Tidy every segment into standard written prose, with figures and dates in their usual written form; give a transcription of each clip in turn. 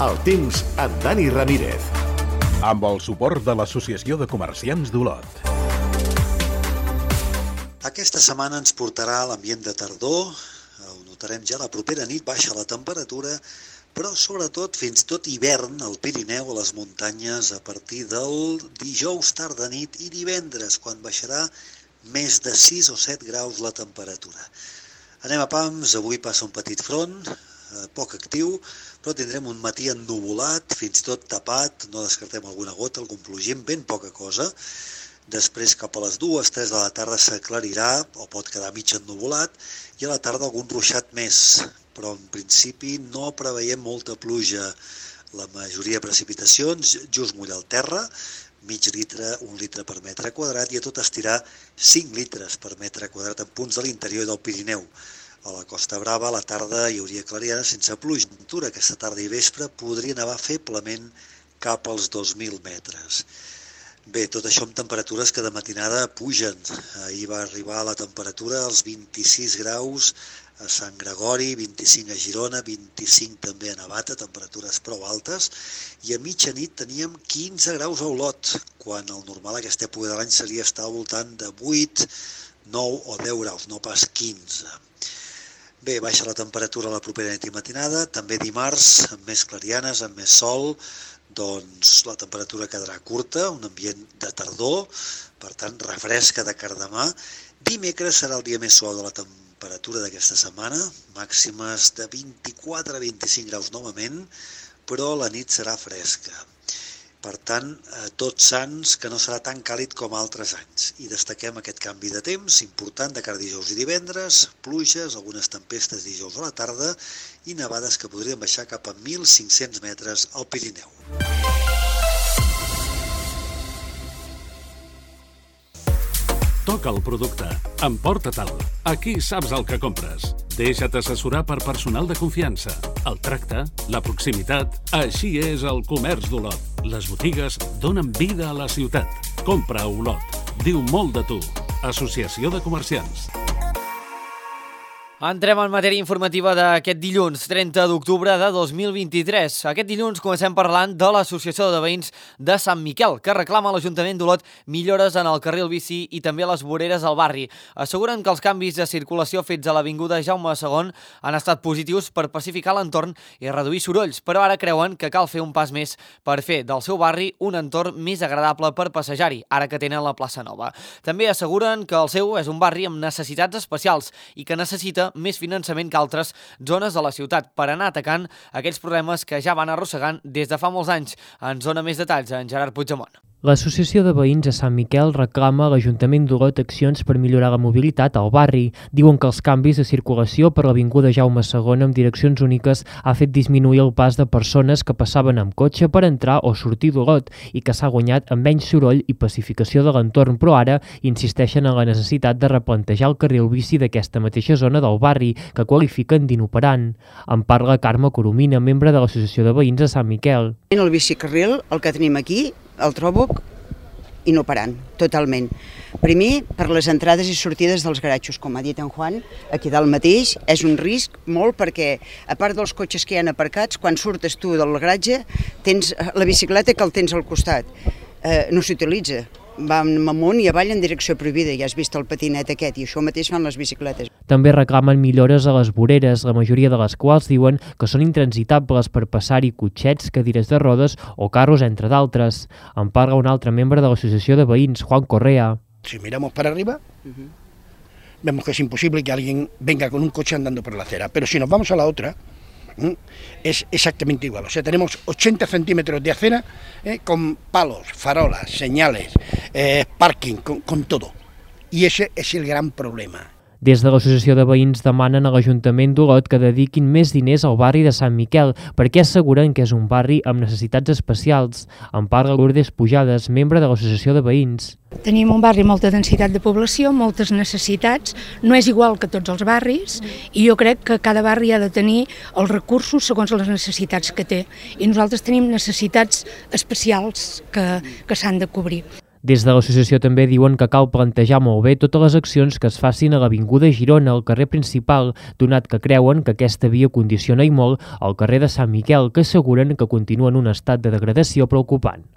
El temps amb Dani Ramírez. Amb el suport de l'Associació de Comerciants d'Olot. Aquesta setmana ens portarà a l'ambient de tardor. Ho notarem ja la propera nit, baixa la temperatura, però sobretot fins tot hivern al Pirineu, a les muntanyes, a partir del dijous tarda nit i divendres, quan baixarà més de 6 o 7 graus la temperatura. Anem a pams, avui passa un petit front, poc actiu, però tindrem un matí ennuvolat, fins i tot tapat, no descartem alguna gota, algun plogim, ben poca cosa. Després cap a les 2-3 de la tarda s'aclarirà, o pot quedar mig ennuvolat, i a la tarda algun ruixat més, però en principi no preveiem molta pluja. La majoria de precipitacions just mullar el terra, mig litre, 1 litre per metre quadrat, i a tot estirar 5 litres per metre quadrat en punts de l'interior del Pirineu. A la Costa Brava a la tarda hi hauria clariana sense pluja. Aquesta tarda i vespre podria nevar feblement cap als 2.000 metres. Bé, tot això amb temperatures que de matinada pugen. Ahir va arribar la temperatura als 26 graus a Sant Gregori, 25 a Girona, 25 també a Navata, temperatures prou altes, i a mitjanit teníem 15 graus a Olot, quan el normal a aquesta època de l'any seria estar al voltant de 8, 9 o 10 graus, no pas 15. Bé, baixa la temperatura la propera nit i matinada, també dimarts, amb més clarianes, amb més sol, doncs la temperatura quedarà curta, un ambient de tardor, per tant refresca de cardamà. Dimecres serà el dia més suau de la temperatura d'aquesta setmana, màximes de 24 a 25 graus novament, però la nit serà fresca. Per tant, Tots Sants, que no serà tan càlid com altres anys. I destaquem aquest canvi de temps important de cara a dijous i divendres, pluges, algunes tempestes dijous a la tarda i nevades que podrien baixar cap a 1.500 metres al Pirineu. Toca el producte. Emporta-te'l. Aquí saps el que compres. Deixa't assessorar per personal de confiança. El tracte, la proximitat... Així és el comerç d'Olot. Les botigues donen vida a la ciutat. Compra a Olot. Diu molt de tu. Associació de Comerciants. Entrem en matèria informativa d'aquest dilluns, 30 d'octubre de 2023. Aquest dilluns comencem parlant de l'Associació de Veïns de Sant Miquel, que reclama a l'Ajuntament d'Olot millores en el carril bici i també a les voreres al barri. Asseguren que els canvis de circulació fets a l'avinguda Jaume II han estat positius per pacificar l'entorn i reduir sorolls, però ara creuen que cal fer un pas més per fer del seu barri un entorn més agradable per passejar-hi, ara que tenen la plaça nova. També asseguren que el seu és un barri amb necessitats especials i que necessita més finançament que altres zones de la ciutat per anar atacant aquells problemes que ja van arrossegant des de fa molts anys. Ens dona més detalls en Gerard Puigdemont. L'Associació de Veïns de Sant Miquel reclama a l'Ajuntament d'Olot accions per millorar la mobilitat al barri. Diuen que els canvis de circulació per l'avinguda Jaume II amb direccions úniques ha fet disminuir el pas de persones que passaven amb cotxe per entrar o sortir d'Olot i que s'ha guanyat amb menys soroll i pacificació de l'entorn, però ara insisteixen en la necessitat de replantejar el carril bici d'aquesta mateixa zona del barri, que qualifiquen d'inoperant. En parla Carme Coromina, membre de l'Associació de Veïns de Sant Miquel. El bicicarril, el que tenim aquí, el trobo inoperant, totalment. Primer, per les entrades i sortides dels garatxos, com ha dit en Juan, aquí dalt mateix és un risc molt perquè, a part dels cotxes que hi ha aparcats, quan surtes tu del garatge, tens la bicicleta que el tens al costat. No s'utilitza. Va amunt i avall en direcció prohibida, ja has vist el patinet aquest, i això mateix fan les bicicletes. També reclamen millores a les voreres, la majoria de les quals diuen que són intransitables per passar-hi cotxets, cadires de rodes o carros, entre d'altres. En parla un altre membre de l'Associació de Veïns, Juan Correa. Si miramos para arriba, vemos que es imposible que alguien venga con un coche andando por la acera, pero si nos vamos a la otra, es exactamente igual. O sea, tenemos 80 centímetros de acera con palos, farolas, señales, parking, con todo. Y ese es el gran problema. Des de l'Associació de Veïns demanen a l'Ajuntament d'Olot que dediquin més diners al barri de Sant Miquel, perquè asseguren que és un barri amb necessitats especials. En parla Lourdes Pujades, membre de l'Associació de Veïns. Tenim un barri amb molta densitat de població, moltes necessitats, no és igual que tots els barris, i jo crec que cada barri ha de tenir els recursos segons les necessitats que té. I nosaltres tenim necessitats especials que s'han de cobrir. Des de l'associació també diuen que cal plantejar molt bé totes les accions que es facin a l'Avinguda Girona, al carrer principal, donat que creuen que aquesta via condiciona i molt el carrer de Sant Miquel, que asseguren que continua en un estat de degradació preocupant.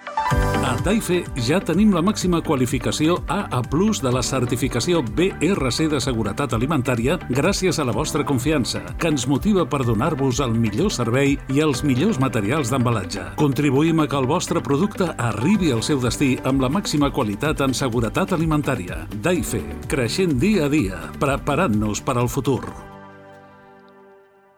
A Daife ja tenim la màxima qualificació AA+ de la certificació BRC de seguretat alimentària gràcies a la vostra confiança, que ens motiva per donar-vos el millor servei i els millors materials d'embalatge. Contribuïm a que el vostre producte arribi al seu destí amb la màxima qualitat en seguretat alimentària. Daife, creixent dia a dia, preparant-nos per al futur.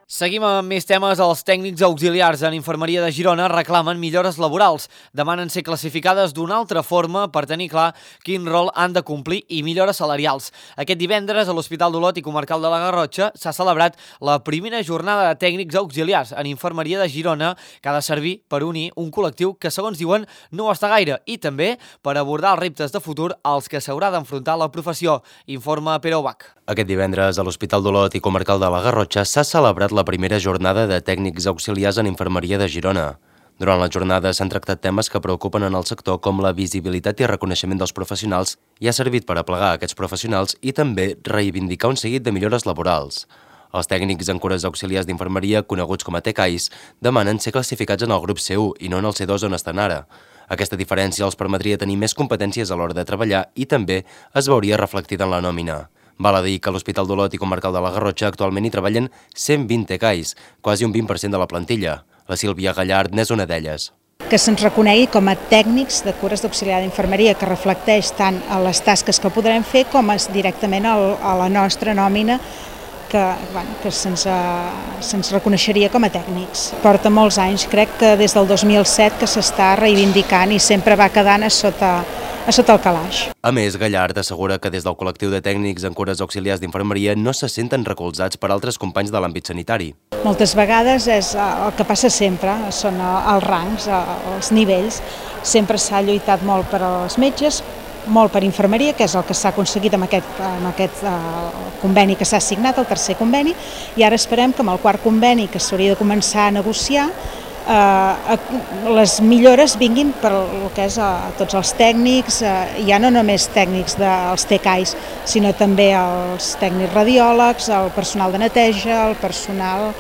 Seguim amb més temes. Els tècnics auxiliars en Infermeria de Girona reclamen millores laborals. Demanen ser classificades d'una altra forma per tenir clar quin rol han de complir i millores salarials. Aquest divendres a l'Hospital d'Olot i Comarcal de la Garrotxa s'ha celebrat la primera jornada de tècnics auxiliars en Infermeria de Girona, que ha de servir per unir un col·lectiu que, segons diuen, no està gaire, i també per abordar els reptes de futur als que s'haurà d'enfrontar la professió. Informa Pere Ubach. Aquest divendres a l'Hospital d'Olot i Comarcal de la Garrotxa s'ha celebrat la primera jornada de tècnics auxiliars en Infermeria de Girona. Durant la jornada s'han tractat temes que preocupen en el sector, com la visibilitat i reconeixement dels professionals, i ha servit per aplegar aquests professionals i també reivindicar un seguit de millores laborals. Els tècnics en cures auxiliars d'infermeria, coneguts com a TCAIs, demanen ser classificats en el grup C1 i no en el C2 on estan ara. Aquesta diferència els permetria tenir més competències a l'hora de treballar i també es veuria reflectida en la nòmina. Val a dir que a l'Hospital d'Olot i Comarcal de la Garrotxa actualment hi treballen 120 TCAIs, quasi un 20% de la plantilla. La Sílvia Gallard n'és una d'elles. Que se'ns reconegui com a tècnics de cures d'auxiliar d'infermeria, que reflecteix tant a les tasques que podrem fer com directament a la nostra nòmina, que se'ns reconeixeria com a tècnics. Porta molts anys, crec que des del 2007 que s'està reivindicant i sempre va quedant a sota el calaix. A més, Gallard assegura que des del col·lectiu de tècnics en cures auxiliars d'infermeria no se senten recolzats per altres companys de l'àmbit sanitari. Moltes vegades és el que passa sempre, són els rangs, els nivells. Sempre s'ha lluitat molt per als metges, molt per infermeria, que és el que s'ha aconseguit amb aquest conveni que s'ha signat, el tercer conveni, i ara esperem que amb el quart conveni, que s'hauria de començar a negociar, les millores vinguin per el que és tots els tècnics, ja no només tècnics dels TCAIs, sinó també els tècnics radiòlegs, el personal de neteja, el personal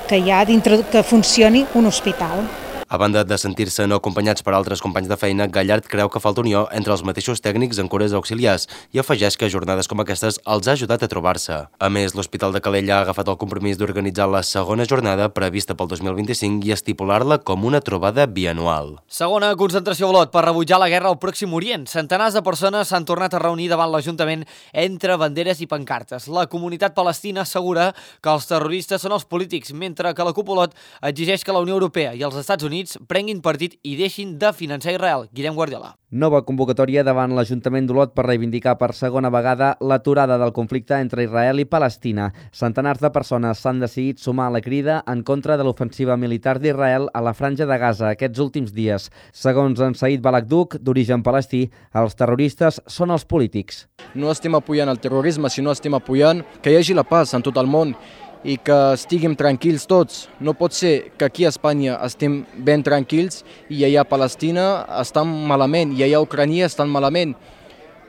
que hi ha dintre que funcioni un hospital. A banda de sentir-se no acompanyats per altres companys de feina, Gallard creu que falta unió entre els mateixos tècnics en cures auxiliars i afegeix que jornades com aquestes els ha ajudat a trobar-se. A més, l'Hospital de Calella ha agafat el compromís d'organitzar la segona jornada prevista pel 2025 i estipular-la com una trobada bianual. Segona concentració a Olot per rebutjar la guerra al Pròxim Orient. Centenars de persones s'han tornat a reunir davant l'Ajuntament entre banderes i pancartes. La comunitat palestina assegura que els terroristes són els polítics, mentre que la CUP Olot exigeix que la Unió Europea i els Estats Units prenguin partit i deixin de finançar Israel. Guillem Guardiola. Nova convocatòria davant l'Ajuntament d'Olot per reivindicar per segona vegada l'aturada del conflicte entre Israel i Palestina. Centenars de persones s'han decidit sumar a la crida en contra de l'ofensiva militar d'Israel a la Franja de Gaza aquests últims dies. Segons en Saïd Balagduk, d'origen palestí, els terroristes són els polítics. No estem apoyant el terrorisme, sinó estem apoyant que hi hagi la paz en tot el món i que estiguem tranquils tots. No pot ser que aquí a Espanya estem ben tranquils i allà a Palestina estan malament i allà a Ucrània estan malament.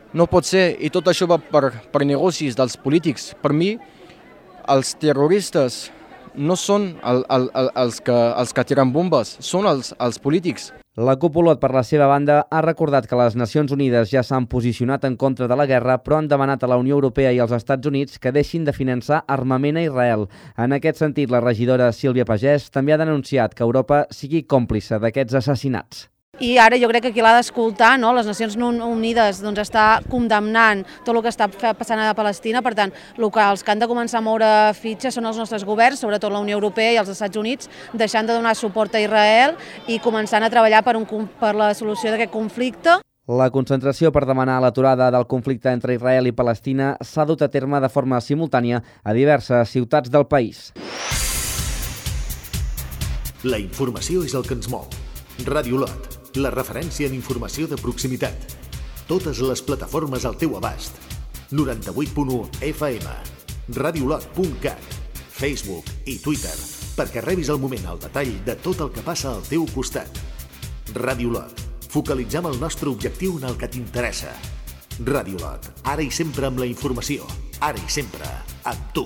No pot ser, i tot això va per negocis dels polítics. Per mi, els terroristes no són els que tiren bombes, són els polítics. La CUP Olot, per la seva banda, ha recordat que les Nacions Unides ja s'han posicionat en contra de la guerra, però han demanat a la Unió Europea i als Estats Units que deixin de finançar armament a Israel. En aquest sentit, la regidora Sílvia Pagès també ha denunciat que Europa sigui còmplice d'aquests assassinats. I ara jo crec que qui l'ha d'escoltar, no? Les Nacions Unides està condemnant tot el que està passant a Palestina, per tant, els que han de començar a moure fitxes són els nostres governs, sobretot la Unió Europea i els Estats Units, deixant de donar suport a Israel i començant a treballar per la solució d'aquest conflicte. La concentració per demanar l'aturada del conflicte entre Israel i Palestina s'ha dut a terme de forma simultània a diverses ciutats del país. La informació és el que ens mou. Ràdio Olot, la referència en informació de proximitat. Totes les plataformes al teu abast. 98.1 FM, radiolot.cat, Facebook i Twitter, perquè rebis al moment el detall de tot el que passa al teu costat. Ràdio Olot, Focalitzem el nostre objectiu en el que t'interessa. Ràdio Lot, ara i sempre amb la informació. Ara i sempre amb tu.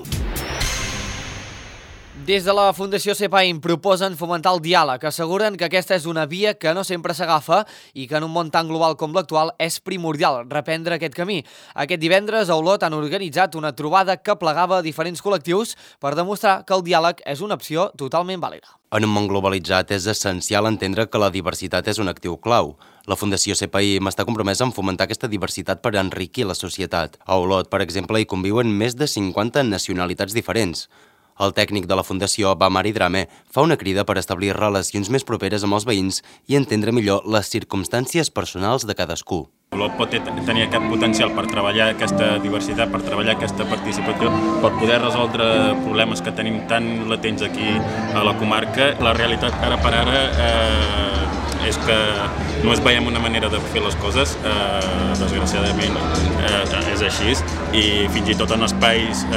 Des de la Fundació CEPAIM proposen fomentar el diàleg. Asseguren que aquesta és una via que no sempre s'agafa i que en un món tan global com l'actual és primordial reprendre aquest camí. Aquest divendres a Olot han organitzat una trobada que plegava diferents col·lectius per demostrar que el diàleg és una opció totalment vàlida. En un món globalitzat és essencial entendre que la diversitat és un actiu clau. La Fundació CEPAIM està compromesa en fomentar aquesta diversitat per enriquir la societat. A Olot, per exemple, hi conviuen més de 50 nacionalitats diferents. El tècnic de la Fundació, Bamari Drame, fa una crida per establir relacions més properes amb els veïns i entendre millor les circumstàncies personals de cadascú. Olot pot tenir aquest potencial per treballar aquesta diversitat, per treballar aquesta participació, per poder resoldre problemes que tenim tan latents aquí a la comarca. La realitat ara per ara és que no es veiem una manera de fer les coses, desgraciadament és així, i fins i tot en espais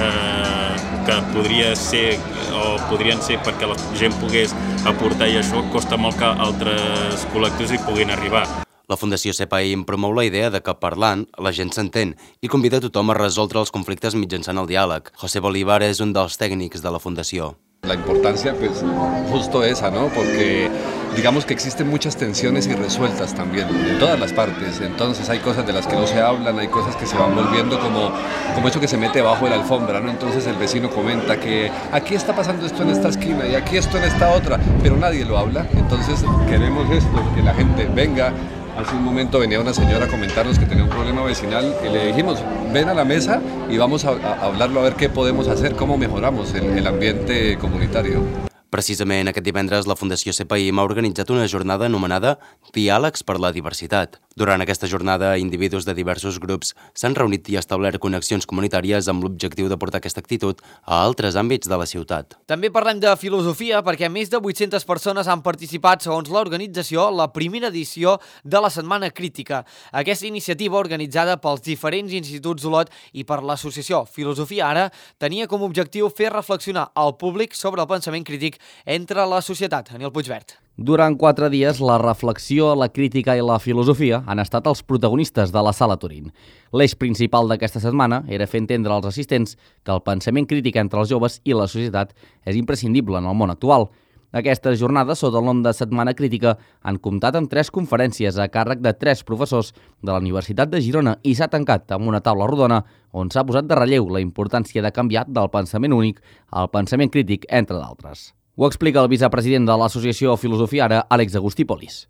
que podrien ser perquè la gent pogués aportar i això costa molt que altres col·lectius hi puguin arribar. La Fundació CEPAIM promou la idea de que parlant la gent s'entén i convida a tothom a resoldre els conflictes mitjançant el diàleg. José Bolívar és un dels tècnics de la Fundació. La importancia, pues, justo esa, ¿no? Porque digamos que existen muchas tensiones irresueltas también, en todas las partes. Entonces hay cosas de las que no se hablan, hay cosas que se van volviendo como eso que se mete bajo de la alfombra, ¿no? Entonces el vecino comenta que aquí está pasando esto en esta esquina y aquí esto en esta otra, pero nadie lo habla. Entonces queremos esto, que la gente venga. Hace un momento venía una señora a comentarnos que tenía un problema vecinal y le dijimos, ven a la mesa y vamos a hablarlo a ver qué podemos hacer, cómo mejoramos el ambiente comunitario. Precisament aquest divendres la Fundació CEPAIM ha organitzat una jornada anomenada Diàlegs per la Diversitat. Durant aquesta jornada, individus de diversos grups s'han reunit i establert connexions comunitàries amb l'objectiu de portar aquesta actitud a altres àmbits de la ciutat. També parlem de filosofia perquè més de 800 persones han participat, segons l'organització, a la primera edició de la Setmana Crítica. Aquesta iniciativa, organitzada pels diferents instituts d'Olot i per l'associació Filosofia Ara, tenia com a objectiu fer reflexionar al públic sobre el pensament crític entre la societat. Aniel Puigvert. Durant 4 dies, la reflexió, la crítica i la filosofia han estat els protagonistes de la Sala Turín. L'eix principal d'aquesta setmana era fer entendre als assistents que el pensament crític entre els joves i la societat és imprescindible en el món actual. Aquestes jornades, sota el nom de Setmana Crítica, han comptat amb 3 conferències a càrrec de 3 professors de la Universitat de Girona i s'ha tancat amb una taula rodona on s'ha posat de relleu la importància de canviar del pensament únic al pensament crític, entre d'altres. Ho explica el vicepresident de l'Associació Filosofia Ara, Àlex Agustí Polis.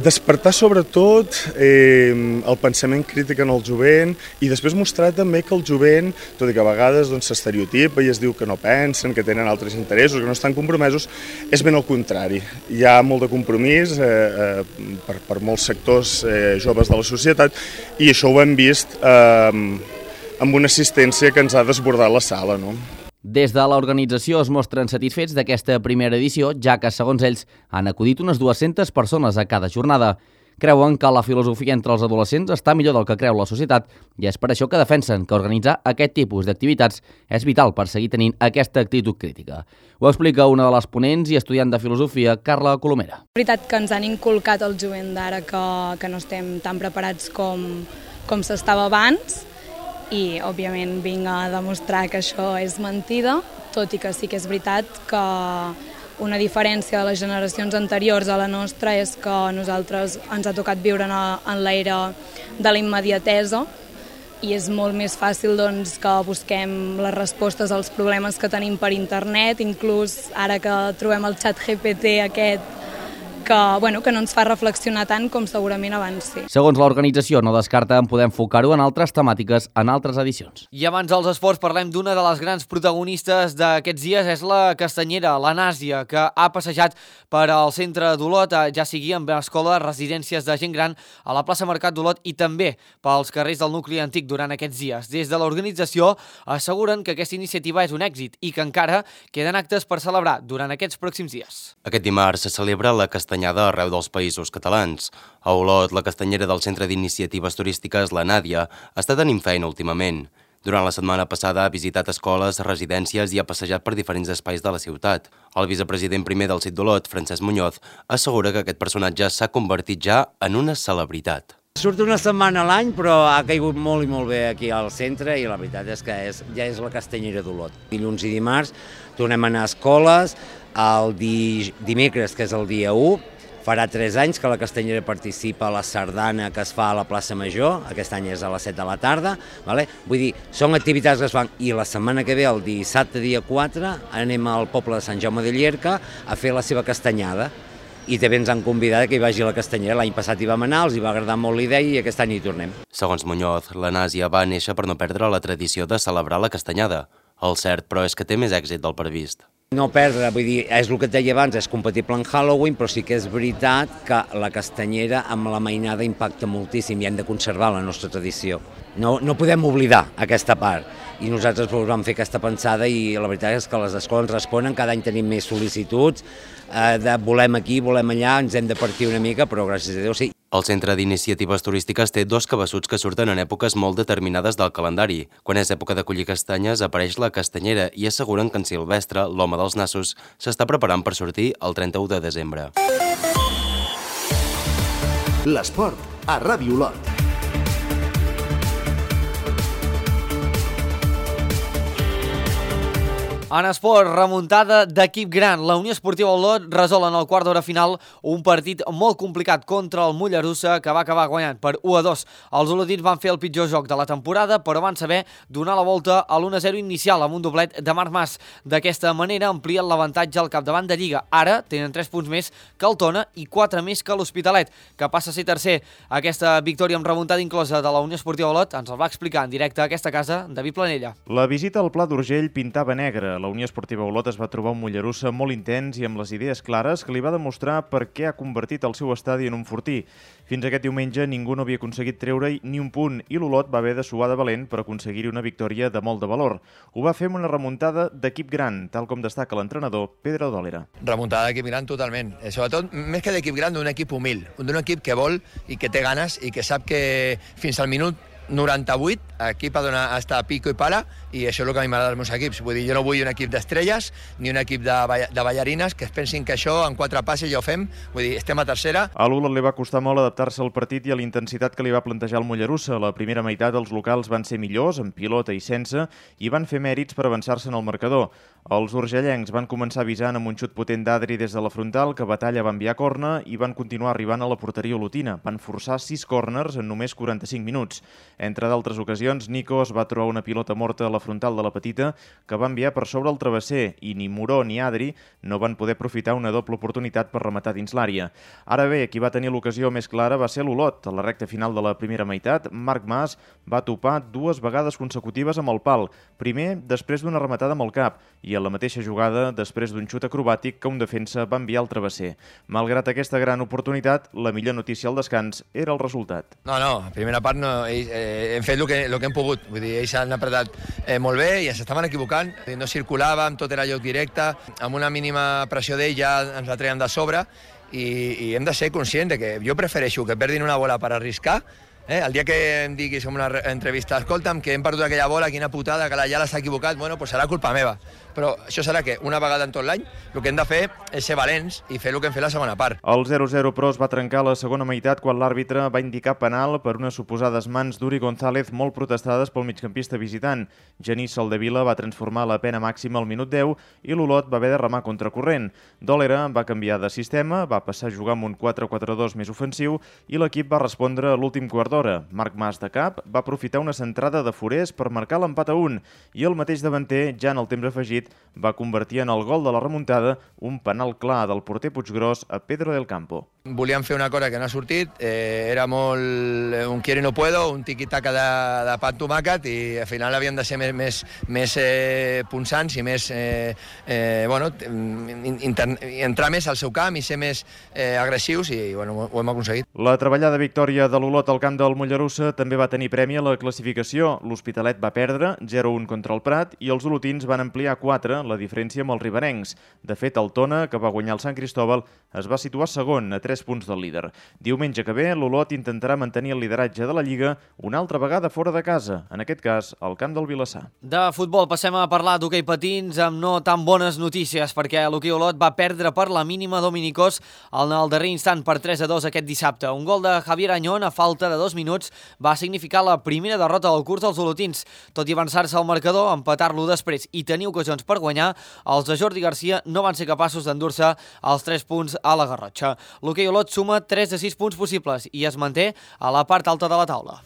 Despertar sobretot el pensament crític en el jovent i després mostrar també que el jovent, tot i que a vegades s'estereotipa i es diu que no pensen, que tenen altres interessos, que no estan compromesos, és ben al contrari. Hi ha molt de compromís per molts sectors joves de la societat i això ho hem vist amb una assistència que ens ha desbordat la sala, no? Des de l'organització es mostren satisfets d'aquesta primera edició, ja que, segons ells, han acudit unes 200 persones a cada jornada. Creuen que la filosofia entre els adolescents està millor del que creu la societat i és per això que defensen que organitzar aquest tipus d'activitats és vital per seguir tenint aquesta actitud crítica. Ho explica una de les ponents i estudiant de filosofia, Carla Colomera. És veritat que ens han inculcat el jovent d'ara que no estem tan preparats com s'estava abans, i, òbviament, vinc a demostrar que això és mentida, tot i que sí que és veritat que una diferència de les generacions anteriors a la nostra és que a nosaltres ens ha tocat viure en l'era de la immediatesa i és molt més fàcil que busquem les respostes als problemes que tenim per internet, inclús ara que trobem el xat GPT aquest que no ens fa reflexionar tant com segurament abans sí. Segons l'organització, no descarta en poder enfocar-ho en altres temàtiques en altres edicions. I abans dels esports parlem d'una de les grans protagonistes d'aquests dies, és la castanyera, la Nàsia, que ha passejat per al centre d'Olot, ja sigui amb escola, residències de gent gran, a la plaça Mercat d'Olot i també pels carrers del nucli antic durant aquests dies. Des de l'organització asseguren que aquesta iniciativa és un èxit i que encara queden actes per celebrar durant aquests pròxims dies. Aquest dimarts se celebra la castanyada arreu dels països catalans. A Olot, la castanyera del Centre d'Iniciatives Turístiques, la Nàdia, està tenint feina últimament. Durant la setmana passada ha visitat escoles, residències i ha passejat per diferents espais de la ciutat. El vicepresident primer del CIT d'Olot, Francesc Muñoz, assegura que aquest personatge s'ha convertit ja en una celebritat. Surt una setmana a l'any, però ha caigut molt i molt bé aquí al centre i la veritat és que ja és la castanyera d'Olot. Dilluns i dimarts tornem a anar a escoles, el dimecres, que és el dia 1, farà 3 anys que la Castanyera participa a la sardana que es fa a la plaça Major, aquest any és a les 7 de la tarda, vull dir, són activitats que es fan, i la setmana que ve, el dissabte dia 4, anem al poble de Sant Jaume de Llierca a fer la seva castanyada, i també ens han convidat que hi vagi a la Castanyera. L'any passat hi vam anar, els hi va agradar molt la idea i aquest any hi tornem. Segons Muñoz, la Nàsia va néixer per no perdre la tradició de celebrar la castanyada. El cert, però, és que té més èxit del previst. No perdre, vull dir, és el que et deia abans, és compatible amb Halloween, però sí que és veritat que la castanyera amb la mainada impacta moltíssim i hem de conservar la nostra tradició. No podem oblidar aquesta part. I nosaltres vam fer aquesta pensada i la veritat és que les escoles responen, cada any tenim més sol·licituds, de volem aquí, volem allà, ens hem de partir una mica, però gràcies a Déu sí. El Centre d'Iniciatives Turístiques té 2 cabassuts que surten en èpoques molt determinades del calendari. Quan és època de collir castanyes apareix la castanyera i asseguren que en Silvestre, l'home dels nassos, s'està preparant per sortir el 31 de desembre. L'esport a Ràdio Olot. En esport, remuntada d'equip gran. La Unió Esportiva Olot resol en el quart d'hora final un partit molt complicat contra el Mollerussa, que va acabar guanyant per 1-2. Els olotins van fer el pitjor joc de la temporada, però van saber donar la volta a l'1-0 inicial amb un doblet de Marc Mas. D'aquesta manera amplien l'avantatge al capdavant de Lliga. Ara tenen 3 punts més que el Tona i 4 més que l'Hospitalet, que passa a ser tercer. Aquesta victòria amb remuntada inclosa de la Unió Esportiva Olot ens el va explicar en directe a aquesta casa David Planella. La visita al Pla d'Urgell pintava negre. La Unió Esportiva Olot es va trobar un Mollerussa molt intens i amb les idees clares que li va demostrar per què ha convertit el seu estadi en un fortí. Fins aquest diumenge ningú no havia aconseguit treure-hi ni un punt i l'Olot va haver de suar de valent per aconseguir-hi una victòria de molt de valor. Ho va fer amb una remuntada d'equip gran, tal com destaca l'entrenador Pedro Dólera. Remuntada d'equip gran totalment. Sobretot, més que d'equip gran, d'un equip humil, d'un equip que vol i que té ganes i que sap que fins al minut 98, equip ha d'estar a pico i pala, i això és el que a mi m'agrada dels meus equips. Vull dir, jo no vull un equip d'estrelles ni un equip de ballarines que es pensin que això en 4 passes ja ho fem. Vull dir, estem a tercera. A l'Olot li va costar molt adaptar-se al partit i a la intensitat que li va plantejar el Mollerussa. La primera meitat els locals van ser millors, amb pilota i sense, i van fer mèrits per avançar-se en el marcador. Els urgellencs van començar avisant amb un xut potent d'Adri des de la frontal, que Batalla va enviar corna, i van continuar arribant a la porteria olotina. Van forçar 6 córners en només 45 minuts. Entre d'altres ocasions, Nico es va trobar una pilota morta a la frontal de la petita que va enviar per sobre el travesser i ni Moró ni Adri no van poder aprofitar una doble oportunitat per rematar dins l'àrea. Ara bé, qui va tenir l'ocasió més clara va ser l'Olot. A la recta final de la primera meitat, Marc Mas va topar 2 vegades consecutives amb el pal. Primer, després d'una rematada amb el cap, i a la mateixa jugada, després d'un xut acrobàtic que un defensa va enviar al travesser. Malgrat aquesta gran oportunitat, la millor notícia al descans era el resultat. No, a primera part hem fet el que hem pogut. Vull dir, ells han apretat molt bé i s'estaven equivocant. No circulàvem, tot era joc directe. Amb una mínima pressió d'ell ja ens la treien de sobre i hem de ser conscients de que jo prefereixo que perdin una bola per arriscar. El dia que em diguis en una entrevista, escolta'm, que hem perdut aquella bola, quina putada, que ja l'has equivocat, bueno, pues serà culpa meva. Però això serà que una vegada en tot l'any el que hem de fer és ser valents i fer el que hem fet la segona part. El 0-0, però, es va trencar a la segona meitat quan l'àrbitre va indicar penal per unes suposades mans d'Uri González molt protestades pel migcampista visitant. Genís Soldevila va transformar la pena màxima al minut 10 i l'Olot va haver de remar contracorrent. Dòlera va canviar de sistema, va passar a jugar amb un 4-4-2 més ofensiu i l'equip va respondre a l'últim quart d'hora. Marc Mas de cap va aprofitar una centrada de Forés per marcar l'empat a 1 i el mateix davanter, ja en el temps afegit, va convertir en el gol de la remuntada un penal clar del porter Puiggròs a Pedro del Campo. Volíem fer una cosa que no ha sortit, era molt un quiero y no puedo, un tiqui-taca de pa amb tomàquet i al final havíem de ser més punçants i més, entrar més al seu camp i ser més agressius i ho hem aconseguit. La treballada victòria de l'Olot al camp del Mollerussa també va tenir premi a la classificació. L'Hospitalet va perdre 0-1 contra el Prat i els olotins van ampliar 4 4 la diferència amb els riberencs. De fet, el Tona, que va guanyar el Sant Cristóbal, es va situar segon a 3 punts del líder. Diumenge que ve, l'Olot intentarà mantenir el lideratge de la Lliga una altra vegada fora de casa, en aquest cas, al camp del Vilassar. De futbol passem a parlar d'hoquei patins amb no tan bones notícies, perquè l'hoquei Olot va perdre per la mínima Dominicós en el darrer instant per 3-2 aquest dissabte. Un gol de Javier Añón a falta de 2 minuts va significar la primera derrota del curs dels olotins. Tot i avançar-se al marcador, empatar-lo després i tenir ocasions per guanyar, els de Jordi Garcia no van ser capaços d'endur-se els 3 punts a la Garrotxa. L'hoquei Olot suma 3 de 6 punts possibles i es manté a la part alta de la taula.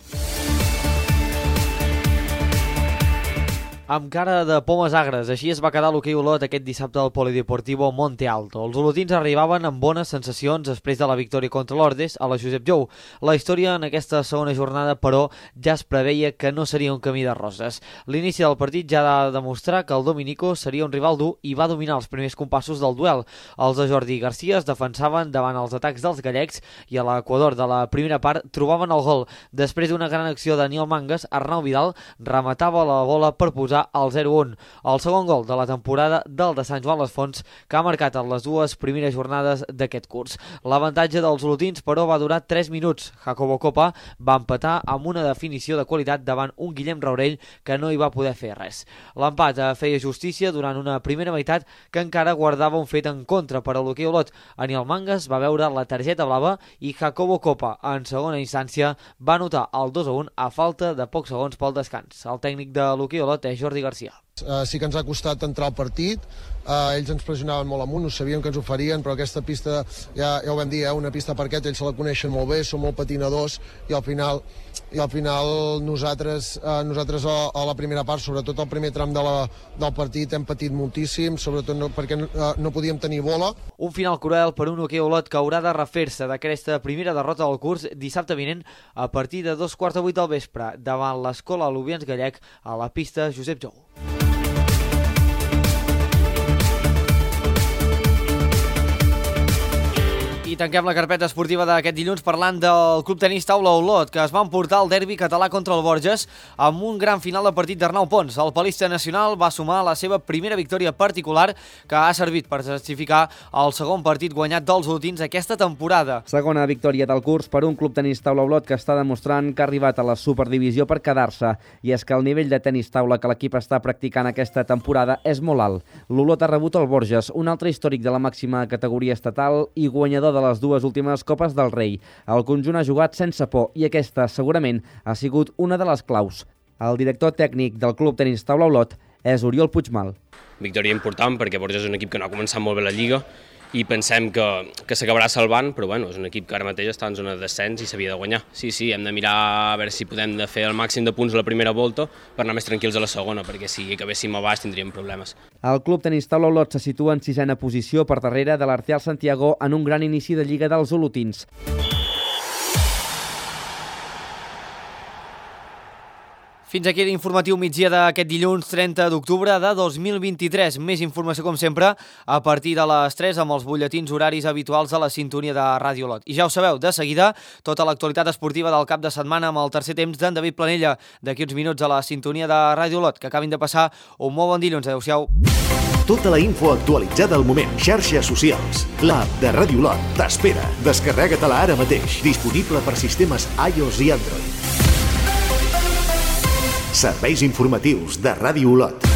Amb cara de pomes agres, així es va quedar l'hoquei Olot aquest dissabte al Polideportivo Monte Alto. Els olotins arribaven amb bones sensacions després de la victòria contra l'Ordes a la Josep Jou. La història en aquesta segona jornada, però, ja es preveia que no seria un camí de roses. L'inici del partit ja ha de demostrar que el Dominico seria un rival dur i va dominar els primers compassos del duel. Els de Jordi Garcia es defensaven davant els atacs dels gallecs i a l'equador de la primera part trobaven el gol. Després d'una gran acció de Daniel Mangas, Arnau Vidal rematava la bola per posar al 0-1, el segon gol de la temporada del de Sant Joan les Fonts, que ha marcat en les dues primeres jornades d'aquest curs. L'avantatge dels olotins, però, va durar 3 minuts. Jacobo Copa va empatar amb una definició de qualitat davant un Guillem Raurell que no hi va poder fer res. L'empat feia justícia durant una primera meitat que encara guardava un fet en contra per a l'hoquei Olot. Aniel Mangas va veure la targeta blava i Jacobo Copa, en segona instància, va anotar el 2-1 a falta de pocs segons pel descans. El tècnic de l'hoquei Olot és Jordi Garcia. Sí que ens ha costat entrar al partit, ells ens pressionaven molt amunt, no sabíem que ens ho farien, però aquesta pista, ja ho vam dir, una pista parquet, ells se la coneixen molt bé, són molt patinadors i al final nosaltres a la primera part, sobretot al primer tram del partit, hem patit moltíssim, sobretot perquè no podíem tenir bola. Un final cruel per un hoquei Olot que haurà de refer-se d'aquesta primera derrota del curs dissabte vinent a partir de 2:45 del vespre davant l'Escola Alubians Gallec a la pista Josep Jou. I tanquem la carpeta esportiva d'aquest dilluns parlant del Club Tenis Taula Olot, que es va emportar el derbi català contra el Borges amb un gran final de partit d'Arnau Pons. El palista nacional va sumar la seva primera victòria particular, que ha servit per certificar el segon partit guanyat dels olotins aquesta temporada. Segona victòria del curs per un Club Tenis Taula Olot que està demostrant que ha arribat a la Superdivisió per quedar-se. I és que el nivell de tenis taula que l'equip està practicant aquesta temporada és molt alt. L'Olot ha rebut el Borges, un altre històric de la màxima categoria estatal i guanyador de les dues últimes Copes del Rei. El conjunt ha jugat sense por i aquesta segurament ha sigut una de les claus. El director tècnic del Club Tenis Taula Olot és Oriol Puigmal. Victòria important perquè Borges és un equip que no ha començat molt bé la Lliga i pensem que s'acabarà salvant, però bueno, és un equip que ara mateix està en zona de descens i s'havia de guanyar. Sí, hem de mirar a veure si podem fer el màxim de punts a la primera volta per anar més tranquils a la segona, perquè si acabéssim a baix tindríem problemes. El Club Tenis Taula Olot se situa en 6a posició per darrere de l'Arteal Santiago en un gran inici de Lliga dels olotins. Fins aquí l'informatiu migdia d'aquest dilluns 30 d'octubre de 2023. Més informació, com sempre, a partir de les 3 amb els butlletins horaris habituals a la sintonia de Ràdio Olot. I ja ho sabeu, de seguida, tota l'actualitat esportiva del cap de setmana amb el tercer temps d'en David Planella. D'aquí uns minuts a la sintonia de Ràdio Olot. Que acabin de passar un molt bon dilluns. Adéu-siau. Tota la info actualitzada al moment. Xarxes socials. L'app de Ràdio Olot t'espera. Descarrega-te-la ara mateix. Disponible per sistemes iOS i Android. Serveis informatius de Ràdio Olot.